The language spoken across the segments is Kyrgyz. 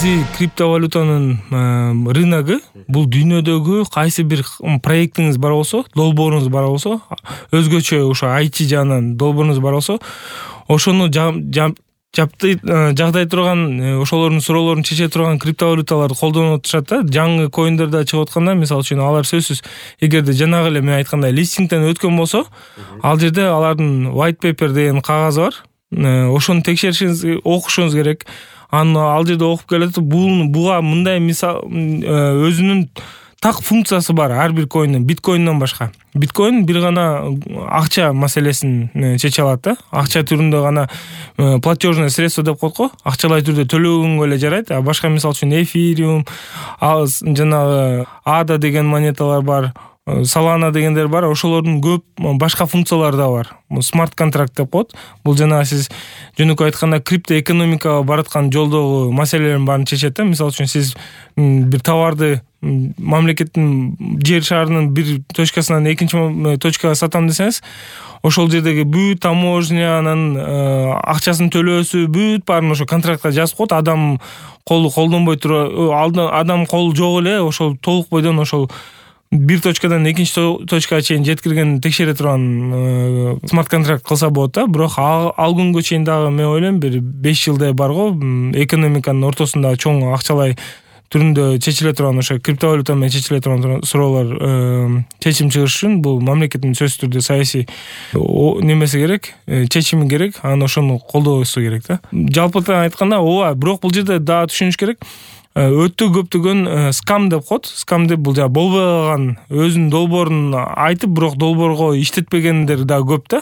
негизи криптовалютанын рыногу бул дүйнөдөгү кайсы бир проектиңиз бар болсо, долбооруңуз бар болсо, өзгөчө ошо IT жагынан долбооруңуз бар болсо, ошону жагдай турган, ошолордун суроолорун чече турган криптовалюталарды колдонуп атышат да. Жаңы коиндерде чыгып атканда, мисалы үчүн алар сөзсүз эгерде жанагы эле мен айткандай листингден өткөн болсо, ал жерде алардын white paper деген кагаз бар. Ошону текшеришиңиз, окушуңуз керек. Аны ал жерде окуп келет. Буга мындай мисал өзүнүн так функциясы бар ар бир коиндин, биткоинден башка. Биткоин бир гана акча маселесин чече алат да. Акча түрүндө гана платежное средство деп коет го. Акчалай түрдө төлөгөнгө эле жарайт. А башка мисалы үчүн эфириум, жанагы ADA деген монеталар бар, Solana дегендер бар. Ошолордун көп башка функциялары да бар. Смарт контракт деп коет. Бул жана сиз жөнөкөй айтканда криптоэкономикага бараткан жолдогу маселелердин баарын чечет да. Мисалы үчүн сиз бир товарды мамлекеттин жер шарынын бир точкасынан экинчи точкага сатам десеңиз, ошол жердеги бүт таможнянын акчасын төлөөсү бүт баарын ошо контрактка жазып коет. Адам колу колдонбой адам колу жок эле ошол толук бойдон ошол бир точкадан экинчи точкага чейин жеткирген текшере турган смарт контракт кылса болот да. Бирок ал күнгө чейин дагы мен ойлойм бир 5 жылдай бар го экономиканын ортосунда чоң акчалай түрүндө чечиле турган, ошо криптовалюта менен чечиле турган суроолор чечим чыгыш үчүн бул мамлекеттин сөзсүз түрдө саясий немеси керек, чечими керек, анан ошону колдоосу керек да. Жалпыдан айтканда ооба, бирок бул жерде дагы түшүнүш керек. Өтө көптөгөн скам деп коет. Скам деп бул болбой калган, өзүнүн долбоорун айтып, бирок долбоорго иштетпегендер да көп да.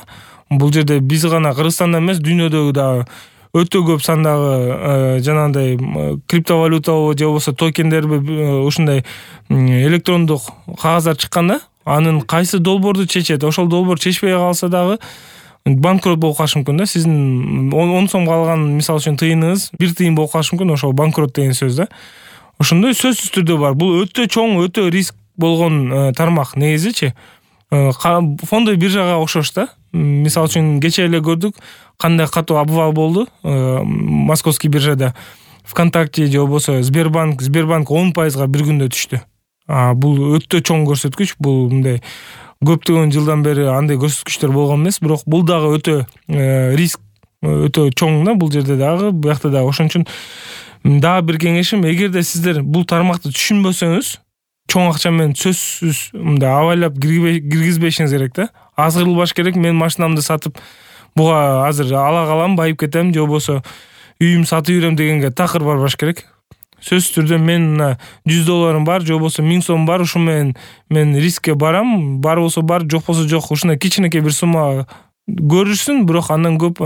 Бул жерде биз гана Кыргызстанда эмес, дүйнөдөгү да өтө көп сандагы жанагындай криптовалюта же болбосо токендерби ушундай электрондук кагаздар чыкканда, анын кайсы долбоорду чечет, ошол долбоор чечпей калса дагы банкрот болуп калышы мүмкүн да. Сиздин 10 сомго алган мисалы үчүн тыйыныңыз 1 тыйын болуп калышы мүмкүн. Ошол банкрот деген сөз да. Ошондой сөзсүз түрдө бар. Бул өтө чоң, өтө риск болгон тармак негизичи. Фондой биржага окшош да. Мисалы үчүн кече эле көрдүк кандай катуу обвал болду Московский биржада. ВКонтакте же болбосо Сбербанк 10% бир күндө түштү. Бул өтө чоң көрсөткүч. Бул мындай көптөгөн жылдан бери андай көрсөткүчтөр болгон эмес, бирок бул дагы өтө риск өтө чоң да. Бул жерде дагы, буякта дагы. Ошон үчүн дагы бир кеңешим, эгерде сиздер бул тармакты түшүнбөсөңүз, чоң акча менен сөзсүз мындай абайлап киргизбешиңиз керек да. Азгырылбаш керек. Мен машинамды сатып буга азыр ала калам, байып кетем, же болбосо үйүм сатып жүрөм дегенге такыр барбаш керек. Сөзсүз түрдө мен $100 бар, же болбосо 1000 сом бар, ушу менен мен рискке барам, бар болсо бар, жок болсо жок. Ушундай кичинекей бир сумма көрүшсүн, бирок андан көп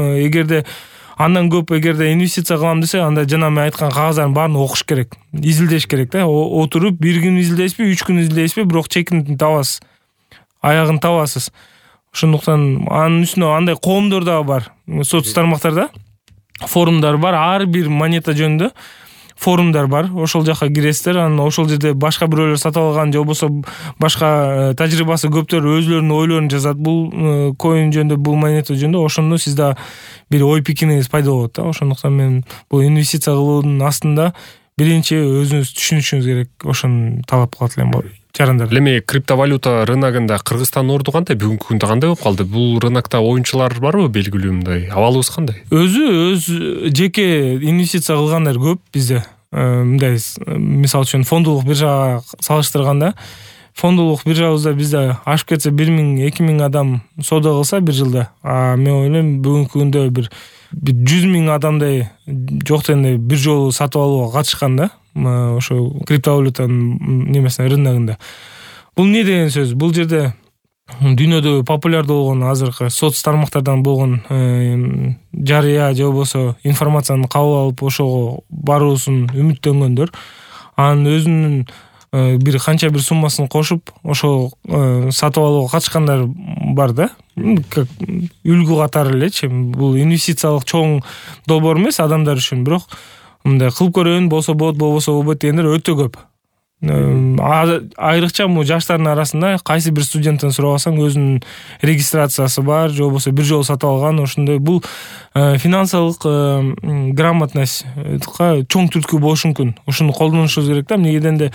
эгерде инвестиция кылам десе, анда жана мен айткан кагаздардын баарын окуш керек, изилдеш керек да. Отуруп 1 күн изилдейсизби, 3 күн изилдейсизби, бирок чекин табасыз, аягын табасыз. Ошондуктан анын үстүнө андай коомдор дагы бар. Соц тармактарда форумдар бар, ар бир монета жөнүндө форумдар бар. Ошол жака киресиздер, анан ошол жерде башка бирөөлөр сатып алган же болбосо башка тажрыйбасы көптөр өзлөрүнүн ойлорун жазат бул коин жөнүндө, бул монета жөнүндө. Ошондо сизде бир ой пикириңиз пайда болот да. Ошондуктан мен бул инвестиция кылуунун астында биринчи өзүңүз түшүнүшүңүз керек. Ошону талап кылат элем жарандар. Эми криптовалюта рыногунда Кыргызстандын орду кандай? Бүгүнкү күндө кандай болуп калды? Бул рынокто оюнчулар барбы белгилүү мындай? Абалыбыз кандай? Өз жеке инвестиция кылгандар көп бизде. Мындай мисалы үчүн фондулук биржага салыштырганда, фондулук биржабызда бизде ашып кетсе 1000-2000 адам соода кылса бир жылда. Мен ойлойм бүгүнкү күндө бир 100,000 адамдай жок дегенде бир жолу сатып алууга катышкан да. Ошо криптовалютанын немесине, рыногунда. Бул эмне деген сөз? Бул жерде дүйнөдө популярдуу болгон азыркы соц тармактардан болгон жарыя же болбосо информацияны кабыл алып ошого баруусун үмүттөнгөндөр, анын өзүнүн бир канча бир суммасын кошуп ошол сатып алууга катышкандар бар да. Үлгү катары элечи. Бул инвестициялык чоң долбоор эмес адамдар үчүн, бирок мындай кылып көрөйүн, болсо болот, болбосо болбойт дегендер өтө көп. Айрыкча бул жаштардын арасында кайсы бир студенттен сурабасаң өзүнүн регистрациясы бар же болбосо бир жолу сатып алган ошондой. Бул финансылык грамотностька чоң түрткү болушу мүмкүн. Ушуну колдонушубуз керек да. Эмнеге дегенде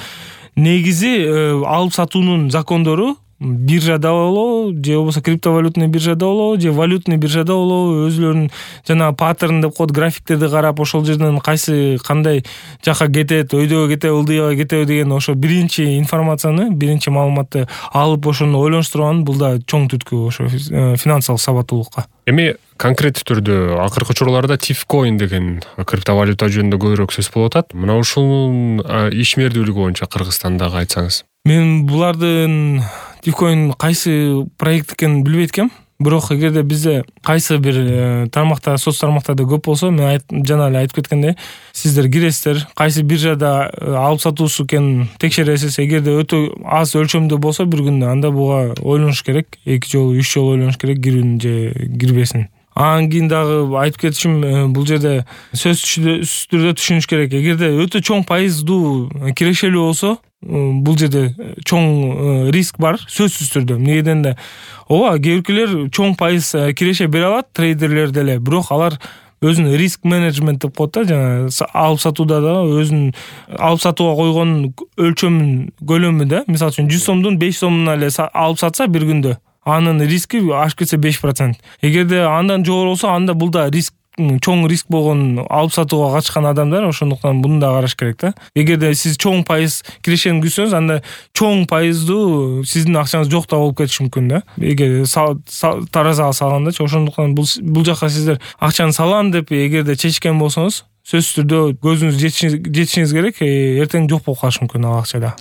негизи алып сатуунун закондору биржада болобу же болбосо криптовалютный биржада болобу же валютный биржада болобу өзүлөрүнүн жанагы паттерн деп коет, графиктерди карап ошол жерден кайсы кандай жака кетет, өйдөгө кетеби, ылдыйга кетеби деген ошо биринчи информацияны, биринчи маалыматты алып ошону ойлонуштурган бул да чоң түрткү ошо финансылык сабаттуулукка. Эми конкреттүү түрдө акыркы учурларда Tifcoin деген криптовалюта жөнүндө көбүрөөк сөз болуп атат. Мына ушунун ишмердүүлүгү боюнча Кыргызстандагы айтсаңыз. Мен булардын Tifcoin кайсы проект экенин билбейт экенм. Бирок эгерде бизде кайсы бир тармакта, соц тармактарда көп болсо, мен жана эле айтып кеткендей, сиздер киресиздер, кайсы биржада алып сатуусу экенин текшересиз. Эгерде өтө аз өлчөмдө болсо бир күндө, анда буга ойлонуш керек. 2 жолу, 3 жолу ойлонуш керек, кирүүнү же кирбесин. Анан кийин дагы айтып кетишим, бул жерде сөзсүз түрдө түшүнүш керек. Эгерде өтө чоң пайыздуу кирешелүү болсо, бул жерде чоң риск бар, сөзсүз түрдө. Эмнеге дегенде, ооба, кээ биркилер чоң пайыз киреше бере алат, трейдерлер деле, бирок алар өзүнүн риск менеджмент деп коет да, жана алып сатууда да өзүнүн алып сатууга койгон өлчөмүн, көлөмү да, мисалы үчүн 100 сомдун 5 сомуна эле алып сатса бир күндө, анын риски ашып кетсе 5%. Эгерде андан жогору болсо, анда бул да риск, чоң риск болгон алып сатууга катышкан адамдар, ошондуктан буну да караш керек да. Эгерде сиз чоң пайыз кирешени күтсөңүз, анда чоң пайыздуу сиздин акчаңыз жок да болуп кетиши мүмкүн да. Эгер таразага салгандачы, ошондуктан бул жака сиздер акчаны салам деп эгерде чечкен болсоңуз, сөзсүз түрдө көзүңүз жетишиңиз керек, эртең жок болуп калышы мүмкүн ал акчада.